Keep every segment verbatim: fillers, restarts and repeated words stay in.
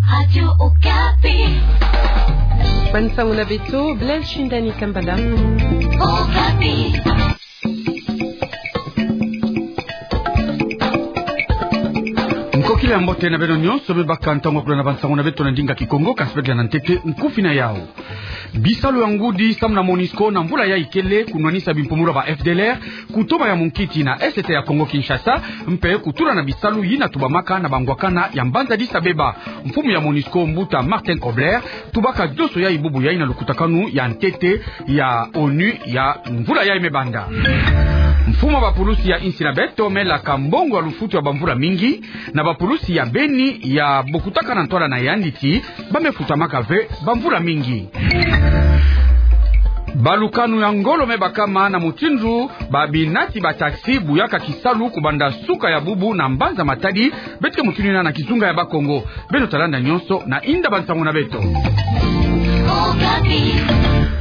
Radio Okapi. Bansango na beto, Blaise Shindani Kambala. Okapi. Nkokila ya mbote na beno nyonso, me baka ntangu ya kulanda bansango na beto na ndinga Kikongo, kasi beto landa na ntete nkufi na yau. Bisalu ya ngudi samu na MONUSCO na mvula yayi kele kunwanisa bimpumulu ya ba F D L R, kutoba ya munkiti na Est ya Congo Kinshasa, mpe kutula na bisalu yina tubamaka na bangwakana ya mbanza Addis Abeba. Mfumu ya MONUSCO mbuta Martin Kobler tubaka nyonso yayi bubu yayi na lukutakanu ya ntete ya ONU ya mvula yayi me banda. Mfumu ya bapulusi ya insi na beto me laka mbongo ya lufutu ya bamvula mingi na bapulusi ya beni ya bokutakana ntwala na yandi ti ba me futamaka ve bamvula mingi. Balukanu ya ngolo me bakama na mutindu ba binati ba taxi buyaka kisalu kubanda suka ya bubu na mbanza Matadi, beto ke mutindu yina na kizunga ya Bakongo. Beno talanda nyonso na inda bansango na beto.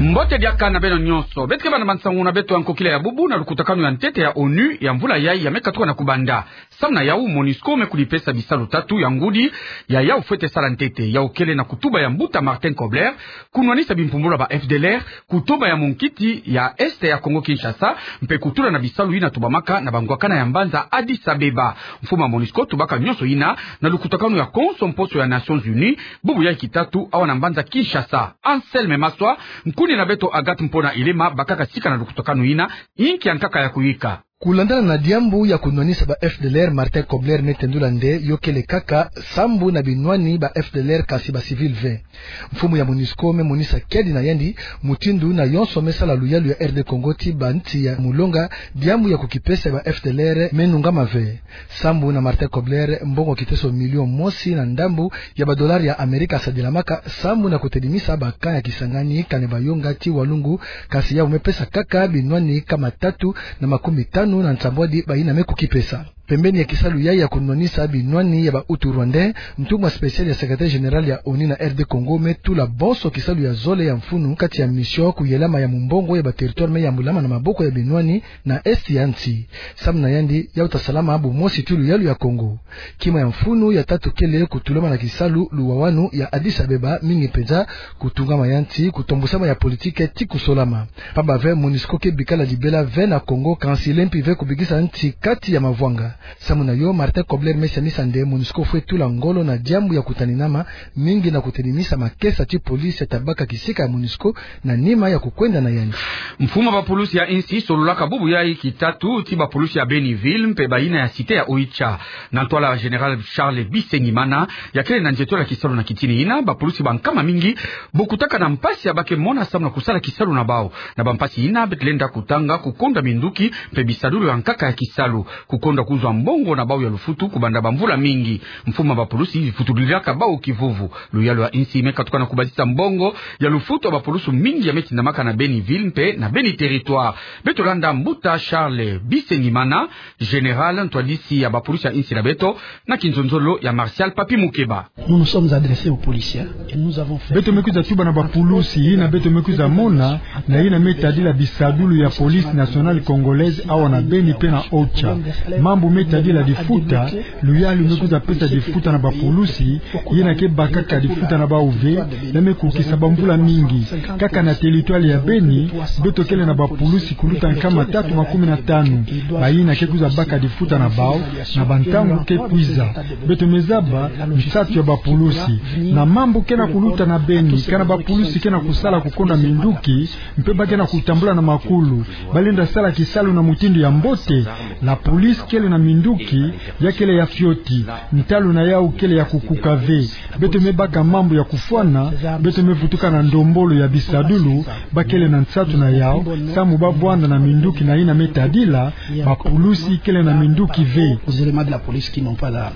Mbote diaka na beno nyonso. Beto ke banda bansango na beto ya nkokila ya bubu na lukutakanu ya ntete ya ONU ya mvula yayi ya me katuka na kubanda. Samu na yau, MONUSCO me kudipesa bisalu tatu ya ngudi ya yau fwete sala ntete. Yau kele na kutuba ya mbuta Martin Kobler, kunwanisa bimpumulu ya ba F D L R, kutoba ya munkiti ya Est ya Congo Kinshasa, mpe kutula na bisalu yina tubamaka na bangwakana ya mbanza Addis Abeba. Mfumu ya MONUSCO tubaka nyonso yina na lukutakanu ya konso mposo ya Nations Unies, bubu yayi kitatu awa na mbanza Kinshasa. Anselme Maswa, nkuni na beto Agathe Mpona Ilema bakaka sika na lukutakanu yina, inki ya nkaka ya kuyika. Kulandana na diambu ya kunwanisa ba F D L R, Martin Kobler me tendula nde yo kele kaka sambu na binwani ba F D L R kasi ba civil ve. Mfumu ya MONUSCO me monisa kiadi na yandi mutindu na yonso me sala luyalu ya R D Congo ti ba nti ya mulonga, diambu ya kukipesa ba F D L R me nungama ve. Sambu na Martin Kobler, mbongo kiteso million mosi na ndambu ya ba dollars ya Amerika sadilamaka sambu na kutedimisa ba camps ya Kisangani, Kanyabayonga ti Walungu, kasi yau me pesa kaka binwani kama tatu na makumi tanu na nsambwadi bayina me kukipesa. Pembeni ya kisalu yayi ya kunwanisa binwani ya ba Hutus rwandais, ntumwa spécial ya secrétaire général ya ONU na R D Congo me tula bonso kisalu ya zole ya mfunu kati ya mission kuyelama ya mumbongo ya ba territoires me yambulama na maboko ya binwani na Est ya nti. Samu na yandi, yau ta salama bumosi ti luyalu ya Congo. Kima ya mfunu ya tatu kele kutulama na kisalu luwawanu ya Addis Abeba, mingi mpenza kutungama ya nti, kutombusama ya politike ti kusolama. Pamba ve, MONUSCO ke bikala libela ve na Congo, kansi lempi ve kubikisa nti kati ya mavwanga. Samu na yo, Martin Kobler me siamisa nde MONUSCO fwe tula ngolo na diambu ya kutaninama, mingi na kutedimisa makesa ti police ya ta baka kisika ya MONUSCO na nima ya kukwenda na yandi. Mfumu ya bapulusi ya insi sololaka bubu yayi kitatu ti bapulusi ya Beni ville mpe bayina ya cité ya Oicha. Na ntwala Général Charles Bisengimana, ya kele na nzietolo ya kisalu na kitini yina, bapulusi ba nkama mingi bokutaka na mpasi ya ba ke mona samu na kusala kisalu na bau. Na bampasi yina, beto lenda kutanga kukonda minduki mpe bisadulu ya nkaka ya kisalu, kukonda kuzwa mbongo na bau ya lufutu kubanda bamvula mingi. Mfumu ya bapulusi vutulilaka bau kivuvu. Luyalu ya insi me katuka na kubasisa mbongo ya lufutu ya bapulusi mingi ya me tindamaka na Beni ville mpe na Beni territoire. Beto landa mbuta Charles Bisengimana, général ntwadisi ya bapulusi ya insi na beto, na kinzonzolo ya Martial Papi Mukeba. Nous nous sommes adressés aux policiers et nous avons fait... Beto me kwiza tuba na bapulusi yina beto me kwiza mona na yina me tadila bisadulu ya Police Nationale Congolaise awa na Beni mpe na Oicha. Mambu me tadila difuta, luyalu me kwiza pesa difuta na bapulusi yina ke bakaka difuta na bau ve, ya me kukisa bamvula mingi. Kaka na territoire ya Beni, beto kele na bapulusi kuluta nkama tatu makumi na tanu, bayina ke kwiza baka difuta na bau na bantangu ke kwiza. Beto me zaba nsatu ya bapulusi. Na mambu ke na kuluta na Beni, kana bapulusi ke na kusala kukonda minduki, mpe ba ke na kutambula na makulu, ba lenda sala kisalu na mutindu ya mbote? La police kele na minduki, ya kele ya fioti, ntalu na yau kele ya kukuka ve. Beto me baka mambu ya kufwana, beto me vutuka na ndombolo ya bisadulu, ba kele na nsatu na yau, samu ba vwanda na minduki na yina me tadila, bapulusi kele na minduki ve. Aux éléments de la police qui n'ont pas la...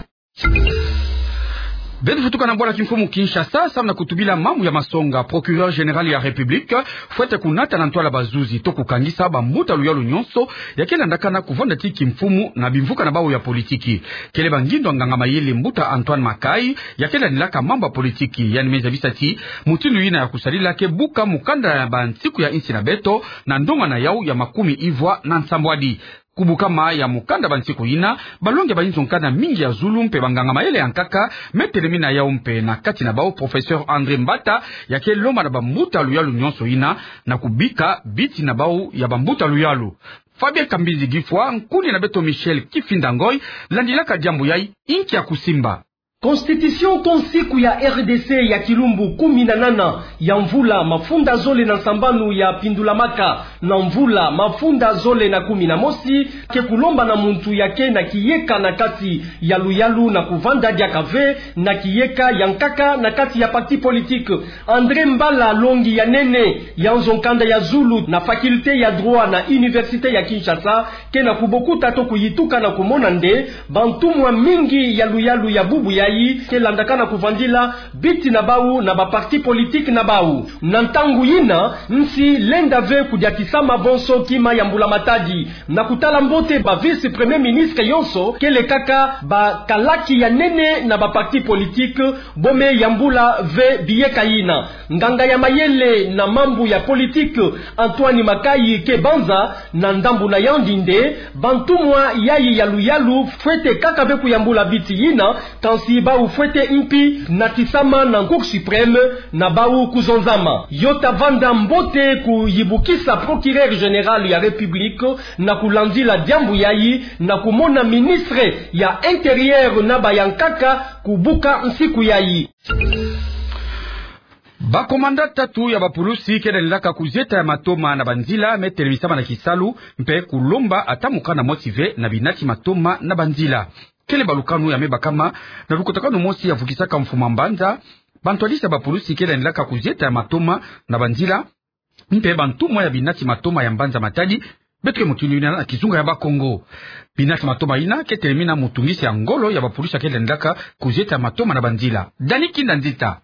Beto vutuka na bwala kimfumu Kinshasa, samu na kutubila mambu ya masonga. Procureur général ya République fwete kunata na ntwala bazuzi to kukangisa bambuta luyalu nyonso ya ke landakana kuvanda ti kimfumu na bimvuka na bau ya politiki. Kele ba ngindo ya nganga mayele mbuta Antoine Makai, ya ke landilaka mambu ya politiki, yandi me zabisa ti mutindu yina ya kusadila ke buka mukanda ya bansiku ya insi na beto na ndonga na yau ya makumi ivwa na nsambwadi. Ku bukama ya mukanda ba nsiku yina, balongi ya ba inzo nkanda mingi ya zulu mpe banganga mayele ya nkaka me telemina yau mpe na kati na bau professeur André Mbata, ya ke lomba na bambuta luyalu nyonso yina na kubika biti na bau ya bambuta luyalu. Fabien Kambinzi Gifwa, nkuni na beto Michel Kifinda Ngoy, landilaka diambu yayi, inki ya kusimba. Constitution to nsiku ya R D C ya kilumbu kumi na nana ya mvula mafunda zole na nsambanu ya pindulamaka na mvula mafunda zole na kumi na mosi, ke kulomba na muntu ya ke na kiyeka na kati ya luyalu na kuvanda diaka ve na kiyeka ya nkaka na kati ya parti politique. André Mbala, longi ya nene ya nzo nkanda ya zulu na faculté ya droit na université ya Kinshasa, ke na kubokuta to kuyituka na kumona nde bantumwa mingi ya luyalu ya bubu yayi ke landaka na kuvandila biti na bau na ba parti politique na bau. Na ntangu yina, nsi lenda ve kudiatisama bonso kima ya mbula Matadi. Na kutala mbote ba vice-premier ministre yonso ke lekaka bakalaki ya nene na ba parti politique, bo me yambula ve biyeka yina. Nganga ya mayele na mambu ya politique, Antoine Makayi, ke banza na ndambu na yandi nde bantumwa yayi ya luyalu fwete kaka ve kuyambula biti yina, kansi bau fwete mpi natisama na Cour suprême na bau kuzonzama. Yo tavanda mbote kuyibukisa procureur général ya République na kulandila diambu yayi na kumona ministre ya Intérieur na ba ya nkaka kubuka nsiku yayi. Bakomanda tatu ya bapulusi ke landilaka kuzieta ya matoma na banzila me telemisama na kisalu, mpe kulomba ata mukanda mosi ve na binati matoma na banzila. Kele balukanu ya me bakama na lukutakanu mosi ya vukisaka mfuma mbanza bantwadisi ya bapulusi ke landilaka kuzieta ya matoma na banzila, mpe bantumwa ya binati matoma ya mbanza Matadi. Beto ke mutindu yina na kizunga ya Bakongo. Binati matoma yina ke telemina mutungisi ya ngolo ya bapulusi ya ke landilaka kuzieta ya matoma na banzila. Dani Kinda Nzita.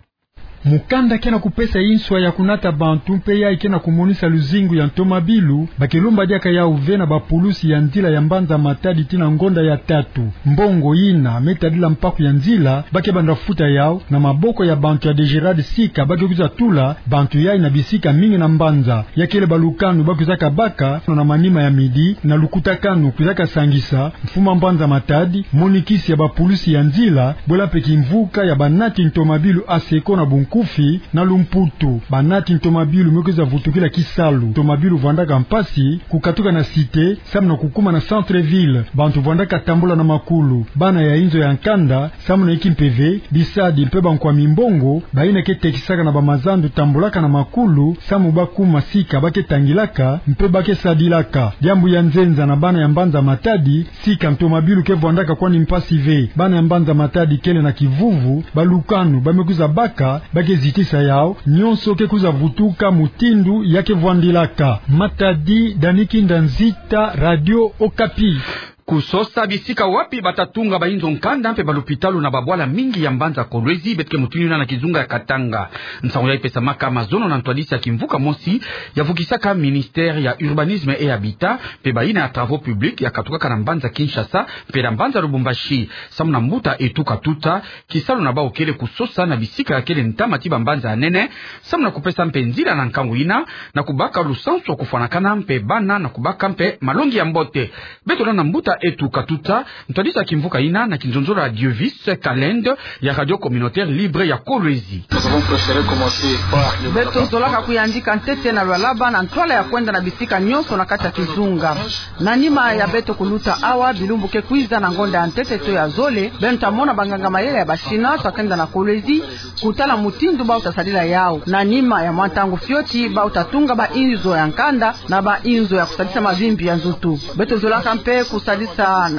Mukanda ke na kupesa inswa ya kunata bantu mpe yayi ke na kumonisa luzingu ya ntomabilu, ba ke lomba diaka yau ve na bapulusi ya nzila ya mbanza Matadi tii na ngonda ya tatu. Mbongo yina me tadila mpaku ya nzila ba ke banda futa yau na maboko ya bantu ya DGRAD sika ba ke kwiza tula bantu yayi na bisika mingi na mbanza. Ya kele balukanu ba kwizaka baka na manima ya midi na lukutakanu kwizaka sangisa mfuma mbanza Matadi, monikisi ya bapulusi ya nzila, bwela mpe kimvuka ya banati ntomabilu ASECO na bunkufi, na lumputu. Banati ntomabilu me kwiza vutukila kisalu. Ntomabilu vwandaka mpasi kukatuka na cité samu na kukuma na centre-ville. Bantu vwandaka tambula na makulu. Bana ya inzo ya nkanda samu na inki mpeve, bisadi mpe bankwa mimbongo, bayina ke tekisaka na bamazandu tambulaka na makulu samu ba kuma sika ba ke tangilaka mpe ba ke sadilaka. Diambu ya nzenza na bana ya mbanza Matadi, sika ntomabilu ke vwandaka kwani mpasi ve. Bana ya mbanza Matadi kele na kivuvu, balukanu ba me kwiza baka ba ke zitisa yau, nyonso ke kwiza vutuka mutindu ya ke vwandilaka. Matadi, Dani Kinda Nzita, Radio Okapi. Kusosa bisika wapi ba ta tunga ba inzo nkanda mpe balupitalu na babwala mingi ya mbanza Kolwezi, beto ke mutindu yina na kizunga ya Katanga. Nsangu yayi pesamaka mazono na ntwadisi ya kimvuka mosi ya vukisaka ministère ya Urbanisme et Habitat, mpe bayina ya Travaux Publics ya katukaka na mbanza Kinshasa mpe na mbanza Lubumbashi. Samu na mbuta Etuka Tuta, kisalu na bau kele kusosa na bisika ya kele ntama tii bambanza ya nene, samu na kupesa mpe nzila na nkangu yina na kubaka lusansu ya kufwanakana mpe bana na kubaka mpe malongi ya mbote. Beto landa mbuta Etuka Tuta, ntwadisi ya kimvuka yina na kinzonzolo ya Diovis Kalende ya Radio Communautaire Libre ya Kolwezi. Beto zolaka kuyandika ntete na lwalaba na ntwala ya kwenda na bisika nyonso na kati ya kizunga. Na nima ya beto kuluta awa, bilumbu ke kwiza na ngonda ya ntete to ya zole, beno ta mona banganga mayele ya ba Chinois ta kenda na Kolwezi kutala mutindu bau ta sadila yau. Na nima ya mwa ntangu fioti, bau ta tunga ba inzo ya nkanda na ba inzo ya kusadisa mavimpi ya nzutu. Beto zolaka mpe kusadisa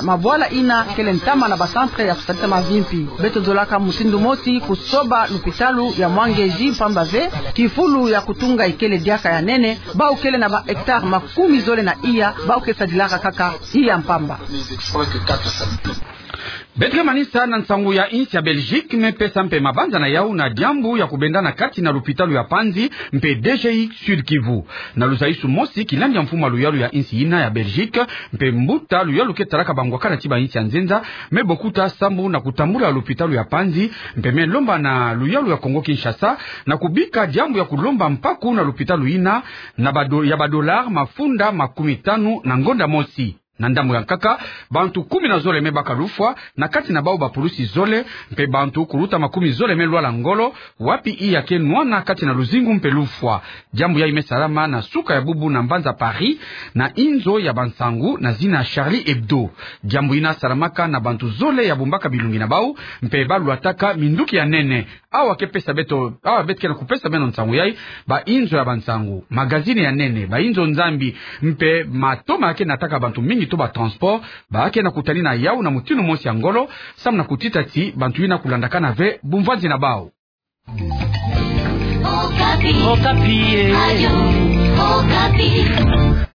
mabwala yina kele ntama na ba centre ya kusadisa mavimpi. Beto zolaka mutindu mosi kusoba lupitalu ya Mwangeji, mpamba ve kifulu ya kutunga ikele diaka ya nene, bau kele na ba hectares makumi zole na iya, bau ke sadilaka kaka iya mpamba. Beto ke manisa na nsangu ya insi ya Belgique me pesa mpe mabanza na yau na diambu ya kubenda na kati na lupitalu ya Panzi mpe D G I Sud-Kivu. Na luzaisu mosi, kilandi ya mfumu a luyalu ya insi yina ya Belgique mpe mbuta luyalu ke talaka bangwakana tii ba insi ya nzenza me bokuta sambu na kutambula lupitalu ya Panzi, mpe me lomba na luyalu ya Congo-Kinshasa na kubika diambu ya kulomba mpaku na lupitalu yina na ba do-, ya ba dollars mafunda makumi tanu na ngonda mosi. Na ndambu ya nkaka, bantu kumi na zole me baka lufwa, na kati na bau bapulusi zole, mpe bantu kuluta makumi zole me lwala ngolo, wapi iya ke nwana kati na luzingu mpe lufwa. Diambu yayi me salama na suka ya bubu na mbanza Paris, na inzo ya bansangu na zina Charlie Hebdo. Diambu yina salamaka na bantu zole ya bumbaka bilungi na bau, mpe balwataka minduki ya nene. Awa ke pesa beto, awa beto ke na kupesa beno nsangu yayi, bainzo ya bansangu, magazini ya nene, bainzo Nzambi, mpe matoma ke nataka bantu mingi to batransport, ba ke na kutanina yau na mutinu mosi ya ngolo, samu na kutita ti bantu yina kulandakana ve bumvanzi na bau. Okapi. Okapi, eh. Radio Okapi.